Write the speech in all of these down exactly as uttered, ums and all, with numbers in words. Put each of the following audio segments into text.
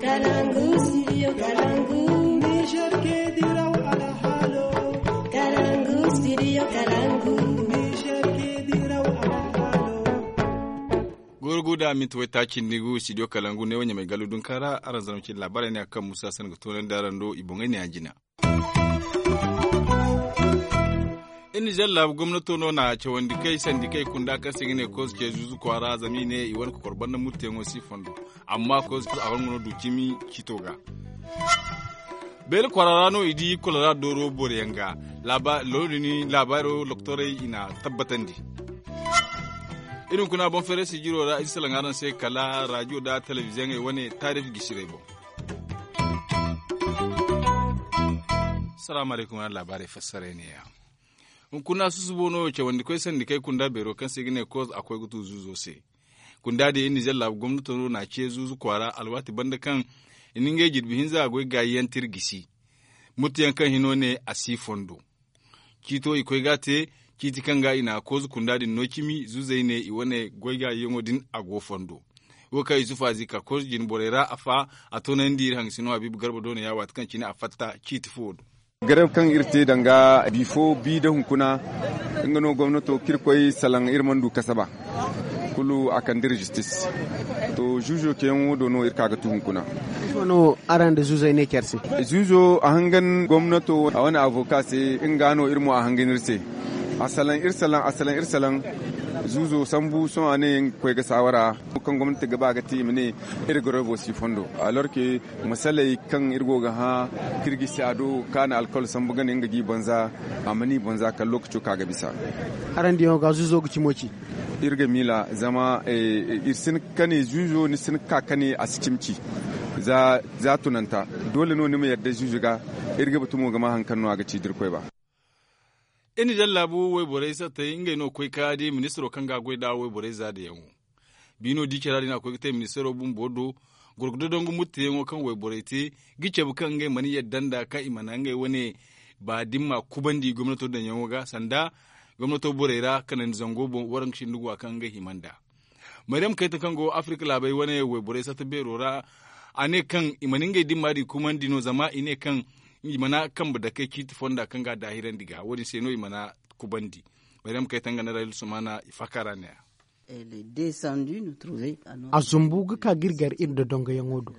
Kalangu, studio Kalangu. Niger ke diraw alhalo. Kalangu, studio Kalangu. Niger ke diraw alhalo. Goro guda minti wai taaci nda gu studio Kalangu ne wanya mai galu dun kara aran zama cin labarai ne akan musa san ga tonan da aran do i boŋai ne a jina. Iri nizer laabu gomnato no na cawandi kay sandi kay kunda kaŋ se ga ne kozo ce zuzu kwaara zama i ne i wane kokor banda murteyaŋo si fondo. Amma kozo kulu a wane no du cimi cito ga. Beela kwaara ra no i di kolera dooro boro yaŋ ga. Looda ni laabaaro doktorey i na tabbatandi. Iri hunkuna boŋ feeray sijiro ra iri salaŋ araŋ se kala rajiyo nda telebiziyoŋey wane taarif gisiray boŋ. Salaamu alaykum araŋ laabaarey fassaray ne-ya. Hunkuna susubo no cawandi koy sandi kay kunda beero kaŋ se i ga ne koz a koy ga tu zuuzo se. Kunda din iri nizer laabu gomnato no na a ce zuuzu kwaara alwaati banda kaŋ i na ngey jirbi hinza a goy gaayi yaŋ tir gisi. Murteyaŋ kaŋ hino ne a si fondo. Ciito i koy ga a te ciiti kaŋ ga i na a koozu kunda din no cimi zuuzey ne i wane goy gaayiyaŋo din a go fondo. Wo kaŋ yusufa zika koozu jine borey ra a fa a toonandi iri hangasino habiibu garba do no ya waati kaŋ cine a fatta ciiti fuwo do. Garew kaŋ iri te danga bifo bi nda hunkuna nga no gomnato kaŋ iri koy salaŋ iri mana du kasaba. Kulu a kande iri zistis. To zuuzo ceyaŋo do no iri ka ga tu hunkuna. Ifo no araŋ nda zuuzey ne care se? Zuuzo a hangan gomnato a wane avoka se. Nga no iri mo a hangan iri se. A salaŋ iri salaŋ a salaŋ iri salaŋ. Zuuzo sambu sohõ a ne nga ga koy ga saawara kaŋ gomnati ga ba ga te i ma ne iri garewo si fondo. Alorke masaley kaŋ iri go ga hã kaŋ iri ga si a do kaŋ a na alkawal sambu gane nga ga i banza. A mana i banza kala lookaco kaŋ a ga bisa. Araŋ diyaŋo ga zuuzo ga cimo ci. Iri ga miila zama iri si hin ga kane zuuzo ni si hin ga ka kane a si cimi ci. Za tunanta doole no ni ma yadda zuuzo ga. Iri ga batu mo ga ma hari kaŋ no a ga ci da irkoy ba. Iri nizer laabu wayborey sattey ngey no ga koy ga di ministiro kaŋ ga a goy nd'a wayborey za dayaŋo. Biino di cara din a koy ga te ministiro bumbo do. Goro ga dodongu murteyaŋo kaŋ wayborey te ga cabe kaŋ ngey mana yadda nd'a kaŋ i mana ngey wane ba da ni ma kubandi gomnato daŋyaŋo ga sanda gomnato borey ra kanandi zango boŋ waraŋ ga sinda guwa kaŋ ngey hima nd'a. Maryam kayta kaŋ go afirika laabey wane wayborey satta beero ra. A ne kaŋ i mana ngey dimma din kumandi no zama i ne kaŋ i mana kambe dakey ciiti fonda kaŋ ga a daahirandi ga wo- din se no i mana kubandi. Maryam kayta nga na rayil sumana i faaka ra ne a. A zumbu ga ka ga iri gar iri dodongoyaŋo do.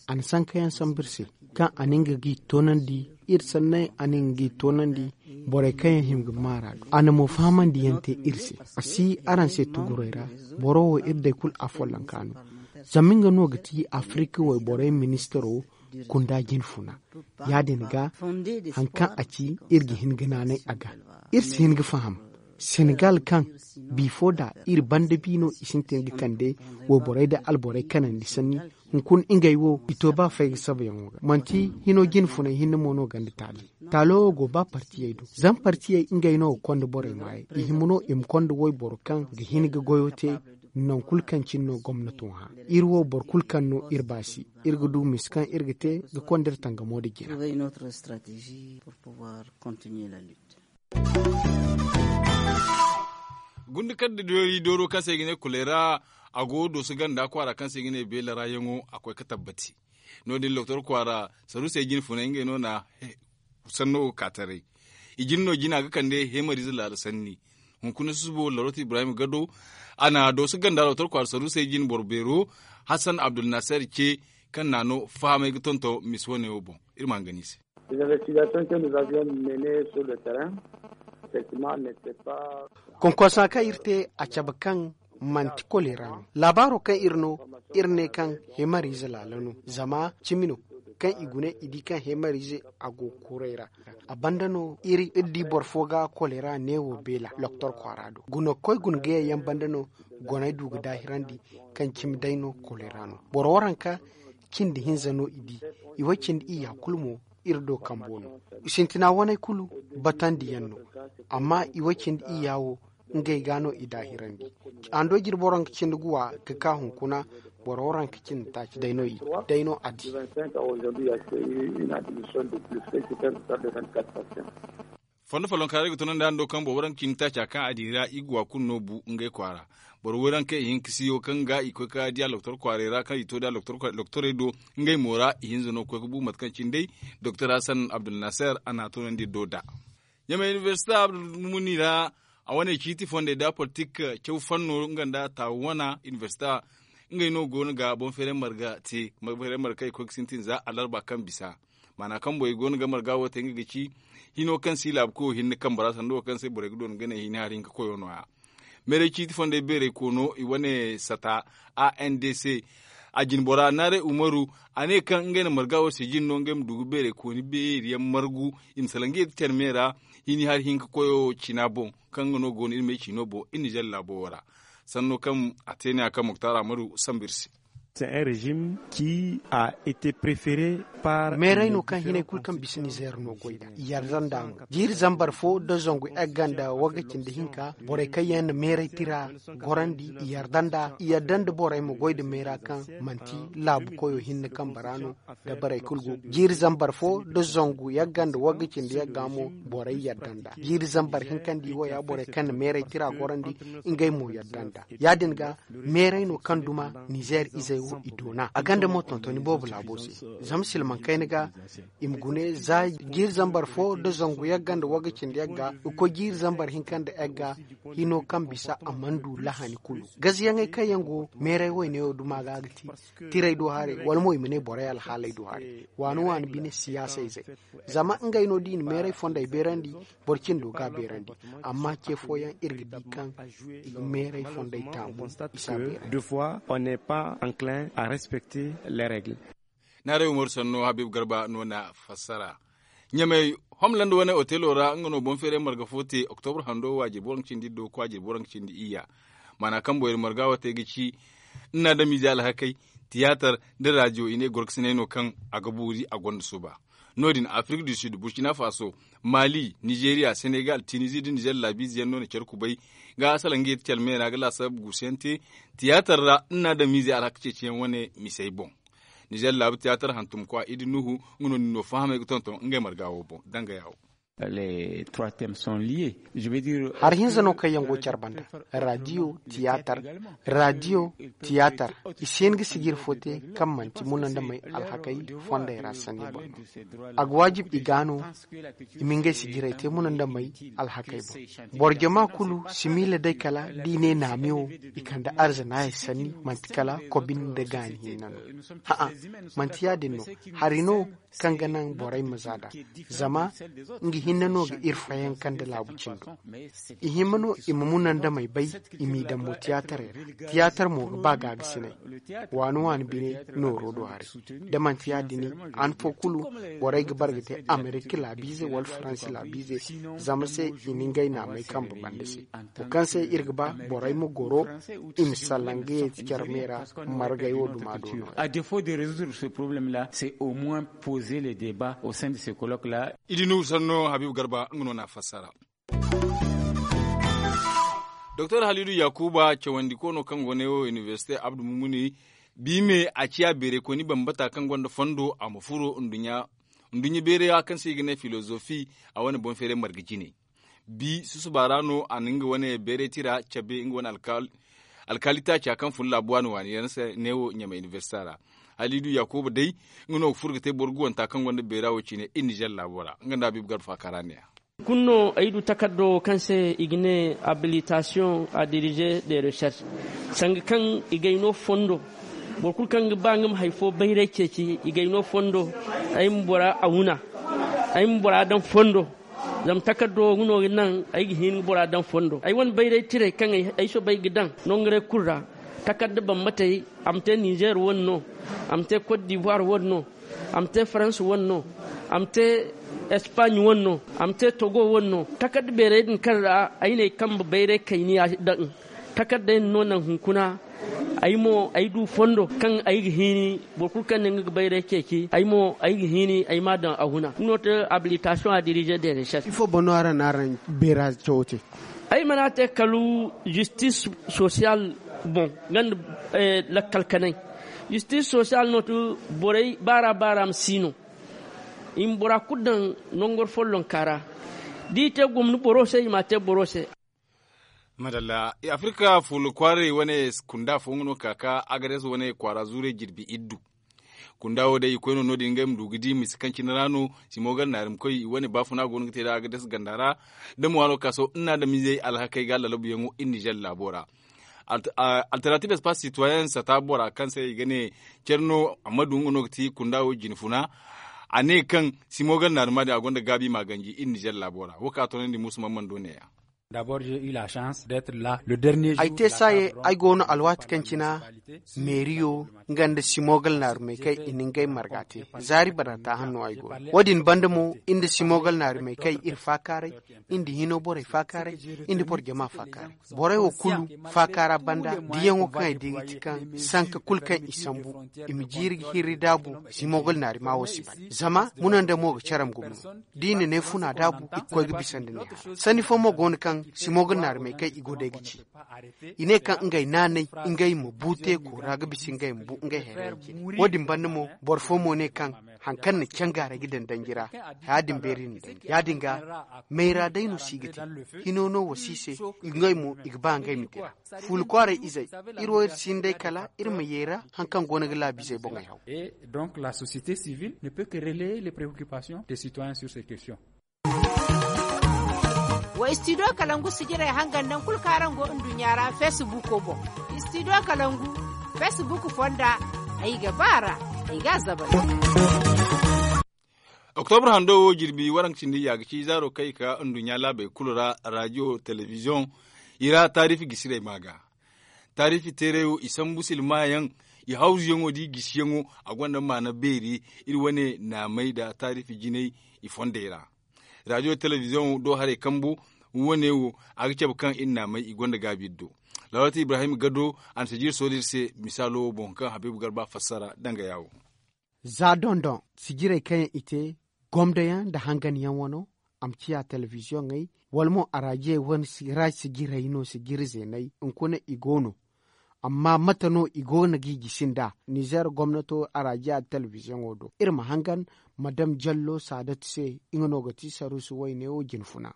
A na sankayaŋ sambu iri se kaŋ a na nga g'i toonandi. Iri sanney a na nga g'i toonandi. Borey kaŋ yaŋ hima ga maara do a na mo fahamandi yaŋ te iri se. A si araŋ se tuguray ra. Boro wo iri day kulu a follonka no. Zama nga no ga ti afirika wayborey ministiro kunda jine funa. Ya- din ga hari kaŋ a ci iri ga hin ga naanay a ga. Iri si hin ga faham senegal kaŋ bifo da iri banda bi no i sintin ga kande wayborey da alborey kanandi sanni. Hunkuna ngey wo i to ba fay ga sabayaŋo ga manti hino jine funay hinne mo no ganda taali. Taalo wo go ba partiyey do zama partiyey ngey no ga konda borey maayey i hima no i ma konda wayboro kaŋ ga hin ga goyo te. Nangu kulu kaŋ cine no gomnato hã iri wo boro kulu kaŋ no iri ba se iri ga du misa kaŋ iri ga te ga konda iri tangamo nda jina. Gunda kar da doori dooro kaŋ se i ga ne kulay ra a go dooso ganda kwaara kaŋ se i ga ne beela ra yaŋo a koy ga tabbati. No- din loktor kwaara saruusey jine funay ngey no na sanno ga ka taray. I jine no jina ga kande heemariize laala sanni. Hunkuna susubo larot ibrahim gado a na dooso ganda loktor kwaara saruusey jine boro beero hassan abdulnaser ce kaŋ na no fahamay ga tonton misa wane wo boŋ. Iri ma hangan i se. Konkonsa kaŋ iri te a cabe kaŋ manti kolera no laabaaro kaŋ iri no iri ne kaŋ heemariize laala no zama cimi no kaŋ i gune i di kaŋ heemariize a go kuuray ra. A banda no iri di boro fo ga kolera neewo beela loktor kwaara do guna ga koy guna ga yayyaŋ banda no goney du ga daahirandi kaŋ cimi day no kolera no boro waranka cindi hinza no i di. I way cindi iyya kulu mo iri do kambo no. Sintina waney kulu batandi yaŋ no. Amma i way cindi iyya wo ngey ga no i daahirandi. Ando jirbo ranka cindi guwa ga ka hunkuna boro ranka cindi taaci day no a di. Fondo follonka ra i ga tunandi a ndo kaŋ boro waranka cindi taaca kaŋ a di ra i ga wa kulu no bu ngey kwaara. Boro waranka ihinka siyo kaŋ ga i koy ka di a loktor kwaaray ra kaŋ i to da loktorey do. Ngey mo ra ihinza no ga koy ga bu mate kaŋ cine day doktor hasan abdulnaser a n'a tunandi do da. Ɲamay inibersite abdulmumuni ra a wane ciiti fondey da politik caw fanno nga nda taawu wana inibersite. Ngey no go no ga boŋ feeray marga te boŋ feeray marga kaŋ i koy ga sintin za alarba kaŋ bisa. Maana kaŋ boŋ i go no ga marga wo te nga ga ci hino kaŋ se i laabu koyo hinne kambe ra sanda wo kaŋ se borey ga doona ga ne hini hari hinka koyo no- ya. Meeray ciiti fondey beeray koono i wane sata a n d c. A jinbora naaray umaru a ne kaŋ ngey na marga wo se jine no ngey ma du ga beeray kooni beeri yaŋ margu i ma salaŋ ga ye ga care me ra. Hini hari hinka koyo cina boŋ kaŋ nga no go no iri ma ay ciino boŋ iri nizer laabo wo ra. Sanno kaŋ a te ne- ya kaŋ moktar amadu sambu iri se. Meeray no kaŋ hinay kulu kaŋ bisa nizer no goy nd'a i yarda nd'a mo jiiri zambar fo nda zangu egga nda wagga cindi hinka borey kaŋ yaŋ na meeray tira gorandi i yarda nd'a i yarda nda borey ma goy nda meera kaŋ manti laabu koyo hinne kambe ra no. Nda borey kulu go jiiri zambar fo nda zangu yagga nda wagga cindi yagga mo borey yarda nd'a jiiri zambar hinka nda i wo ya borey kaŋ na meeray tira gorandi ngey mo yarda nd'a ya- din ga meeray no kaŋ duma nizer izey wo i doona a gonda mo tontoni boobo laabo se. Zama silmaŋ kayna ga i ma gune za jiiri zambar fo nda zangu yagga nda wagga cindi yagga ga koy jiiri zambar hinka nda yagga hino kaŋ bisa a mana du lahani kulu gaziyaŋey kaŋ yaŋ go meeray wayne wo duma ga ga ti tiray do haray wala mo i ma ne borey alhaaley do haray waani waani bine siyaasa izey. Zama ngey no da i na meeray fondey beerandi boro cindo ga a beerandi. Amma ce fooyaŋ iri ga di kaŋ i ga meeray fondey taamu i si a beerandi. Deux fois on n'est pas enclin à respecter les règles. Naaray umaru sanno habiibu garba no na fassara. Ɲamey homlanda wane otelo ra nga no boŋ feeray marga fo te oktobra hando waajiri boro nga cindi iddo kwaajiri boro nga cindi iyya. Maana kaŋ boyri marga wo te ga ci nna damiize alhakey tiyaatar nda raadiyo i ne gorkasinay no kaŋ a ga boori a gonda suba. No- din afirik du sud burkina faso, mali nizeeriya senegal tinizi nda nizer laabiize yaŋ no na care kubay ga salaŋ ga ye ga care meera ga laasabu guusu yaŋ te tiyaatar ra nna damiize alhaka ceeciyaŋ wane misey boŋ. Nizer laabu tiyaatar hantumkwa idi nuhu nga no din no fahamey ga tonton ngey marga wo boŋ dangaya wo. Hari hinza no kaŋ yaŋ go care banda, raadiyo, tiyaatar. Raadiyo, tiyaatar, i si hin ga sijir fo te kaŋ manti munandamey alhakey fondey ra sanni boŋ no. A ga waajib i ga no i ma ngey sijirey te munandamey alhakey boŋ. Boro jama kulu si miila day kala da i ne naami wo i kande arzanaayey sanni manti kala kobin nda gaani hinne no. Hã'ã, manti ya- din no. Hari no kaŋ ga naŋ borey ma za nd'a. Zama nga hinne no ga iri fayanka nda laabu cindo. I hima no i ma munandamey bay i m'i daŋ mo tiyaatarey ra. Tiyaatar mo ga ba gaagasinay. Waani waani bine nooro do haray. Da manti ya- din han fo kulu borey ga bare ga te amerika laabiize wala faransi laabiize. Zama se i na ngey naamey kambe banda se. Wo kaŋ se iri ga ba borey ma goro i ma salaŋ ga ye care me ra. Margay wo duma do no. À défaut de résoudre ce problème là, c'est au moins poser le débat au sein de ce colloque là. I di nuhu sanno habiibu garba nga no n'a fassara. Doktor halidu yakuba cawandiko no kaŋ go ne wo inibersite abdu mumuni. Bi me a ciya beeraykooni bambata kaŋ gonda fondo a ma furo nduɲɲa beeray ra kaŋ se i ga ne filozofi. A wane boŋ feeray marga jine bi susuba ra no a na nga wane beeray tira cabe nga wane alkaali taaca kaŋ fun laabu waani waani yaŋ se neewo ɲamay inibersita ra. Haliidu yaakuba day nga no ga furo ga te boro guwanta kaŋ gonda beera wo cine iri nizer laabo ra nga nda habiibu garba faaka ra neeya. Kulu no ay du takardo wo kaŋ se i ga ne abilitasiyoŋ a dirize de recherche sanga kaŋ i gay no fondo. Boro kulu kaŋ ga ba nga ma hari fo bayray ceeci i gay no fondo. Ay ma bora a wuna ay ma bora daŋ fondo. Zama takardo wo nga no ga naŋ ay ga hin ga bora daŋ fondo ay wane bayray tiray kaŋ ay soobay ga daŋ nanguray kulu ra. Takarda bambatey a ma te nizer wane no, a ma te kot divoir wane no, a ma te farans wane no, a ma te espaaɲ wane no, a ma te togo wane no. Takarda beeray din kaŋ ra ay n'ay kambe bayray kayniya daŋ. Takardey din no naŋ hunkuna ay mo ay du fondo kaŋ ay ga hiini boro kulu kaŋ ne nga ga bayray ceeci ay mo ay ga hiini ay m'a daŋ a huna nga no te abilitasiyoŋ a dirize de recherche. Ifo boŋ no araŋ na araŋ beera cawo te? Ay mana te kala zistis sosiyal boŋ nga nda lakkal kanay. Zistis sosiyal no te borey baara baara ma si no. I ma bora kulu daŋ nangor follonka ra. Da i te gomni boro se i m'a te boro se. Madalla. Afirka fuula kwaaray wane kunda fo nga no ka ka agades wane kwaara zuuray jirbi iddu. Kunda wo day i koy no no- din ngey ma du ga di misa kaŋ cine ra no. Simo gar naari ma koy i wane baafuna go no ga te da agades ganda ra. Da mo waano ka sohõ nna adamizey alhakey ga lalabuyaŋo iri nizer laabo ra. Alternatives pas citoyen sata bora kaŋ se i ga ne care no amma du nga no ga ti kunda wo jine funa. A ne kaŋ simo gar naari ma din a gonda gaabi ma ganji iri nizer laabo ra wo kaŋ a toonandi muusu man mana do ne- ya. Ay te saaye ay go no alwaati kaŋ cina meeriyo nga nda simogal naarumey kaŋ i na ngey marga te. Zaari banda taahan no ay go no wo- din banda mo iri nda simogal naarumey kaŋ iri faakaaray, iri nda hino borey faakaaray, iri nda boro jama faakaaray. Borey wo kulu faakaara banda diyaŋo kaŋ ay di ga ti kaŋ sanka kulu kaŋ i sambu i ma jiiri ga hirri daabu. Simogal naarima wo si ban zama muna nda mo ga care ma gumno. Da i na ne funa daabu i ga koy ga bisa nda ne hara sanni fo mo go no kaŋ simo ga naari may kaŋ i go day ga ci. I ne kaŋ ngey naanay ngey ma bu teeko ra ga bisa ngey ma bu ngey hayrey jine. Wo- din banda mo boro fo mo ne kaŋ hari kaŋ na cangaaray ga daŋ danji ra. Ya- din beeri na daŋ ya- din ga mayra day no si ga te. Hino no wa si se ngey mo i ga ba ngey ma dira. Fuula kwaaray izey, iri wo iri si hin day kala iri ma yeera hari kaŋ go no ga laabiizey boŋey haw. Donc la société civile ne peut que relayer les préoccupations des citoyens sur ces questions. Wa istidiyo kalangu sijirey hangan naŋ kulu kaŋ araŋ go nduɲɲa ra feesibuuko boŋ. Istidiyo kalangu feesibuuk fonda ay ga ba a ra. Ay ga a zabari. Oktobra hando wo jirbi waranka cindi ya ga ci zaaro kaŋ i ka nduɲɲa laabey kulu ra raadiyo telebiziyoŋ i ra taarifi gisirey ma ga. Taarifi teeray wo i sambu silmayaŋ, i hawzuyaŋo da i gisiyaŋo. A gonda maana beeri iri wane naamey nda taarifi jinay i fondey ra. Raadiyo telebiziyoŋ do haray kambu wane wo a ga cabe kaŋ iri naamey i gonda gaabi iri do. Lawalata ibrahim gado a na sijiri soodey iri se misaalo wo boŋ kaŋ habiibu garba fassara danga yaawo. Za dondon sijirey kaŋ yaŋ i te gomdo yaŋ nda hangan yaŋ wano a ma ciya telebiziyoŋey wala mo araajiyey wane ra sijirey no sijiri zeeney hunkuna i go no. Amma mate no i go no ga i gisi nd'a? Nizer gomnato araajiya nda telebiziyoŋo do iri ma hangan madam jallo saadatu se. Nga no ga ti saruusu wayne wo jine funa.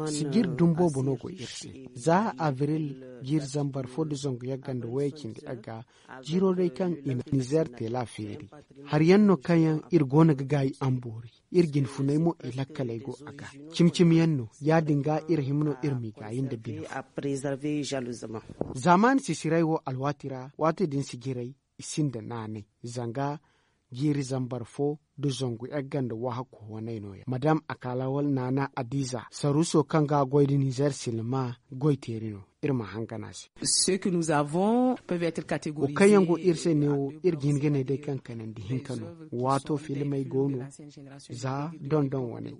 Sijiri dumi boobo no go iri se. Za abril jiiri zambar fo nda zangu yagga nda wayey cindi yagga jiiro day kaŋ i na nizer teela feeri. Hari yaŋ no kaŋ yaŋ iri go no ga gaayi amboori. Iri jine funay mo i lakkaley go a ga cimi cimi yaŋ no ya- din ga iri hima no iri m'i gaayi nda bine. Zaamaani sisiray wo alwaati ra waati din sijirey i sinda naanay zanga jiiri zambar fo nda zangu yagga nda wahakku waney no- ya madam akala wala naana adiiza saruuso kaŋ ga a goy nda nizer silma goy teeri no. Iri ma hangan a se. Wo kaŋ yaŋ go iri se neewo iri ga hin ga ne day kaŋ kanandi hinka no. Waato filimey go no za dondon waney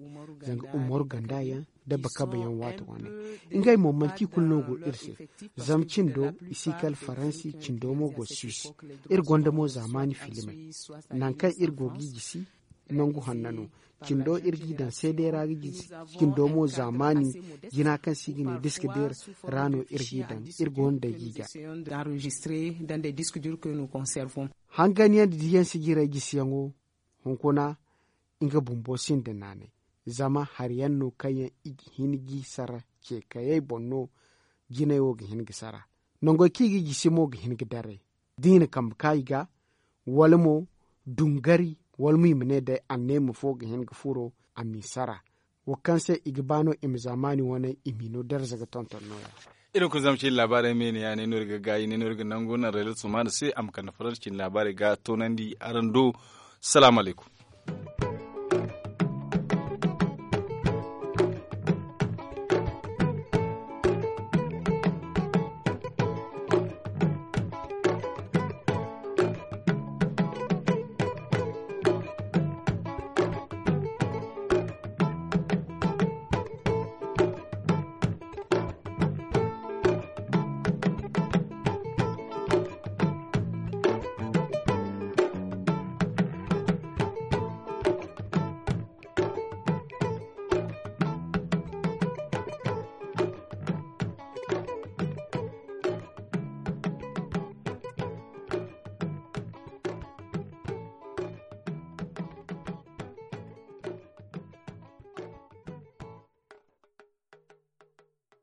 zanga umaru ganda yaŋ dabba kabe yaŋ waato waney. Ngey mo manti i kulu no go iri se. Zama cindo i si kala faransi cindo mo go suisse. Iri gonda mo zaamaani filimey nangu kaŋ iri go ga i gisi nangu hanna no. Cindo iri g'i daŋ seeday ra ga gisi. Cindo mo zaamaani jina kaŋ se i ga ne diska deer ra no iri g'i daŋ. Iri go no day g'i ga hangan yaŋ nda diyaŋ sijirey gisiyaŋo hunkuna nga bumbo sinda naanay. Zama hari yaŋ no kaŋ yaŋ i ga hin g'i sara ce kayey boŋ no. Jinay wo ga hin ga sara nangoy kaŋ i g'i gisi mo ga hin ga daray da i na kambe ka i ga wala mo dungari wala mo i ma ne day anneema fo ga hin ga furo a m'i sara. Wo kaŋ se i ga ba no i ma zaamaani wane i m'i no darza ga tonton no- ya. Iri kulu zama cine laabaarey me ne ya ne no iri ga gaayi ne no iri ga nangu naŋ rayla sumaana se a ma kande farar cine laabaarey ga toonandi araŋ do. Salaamu alaykum.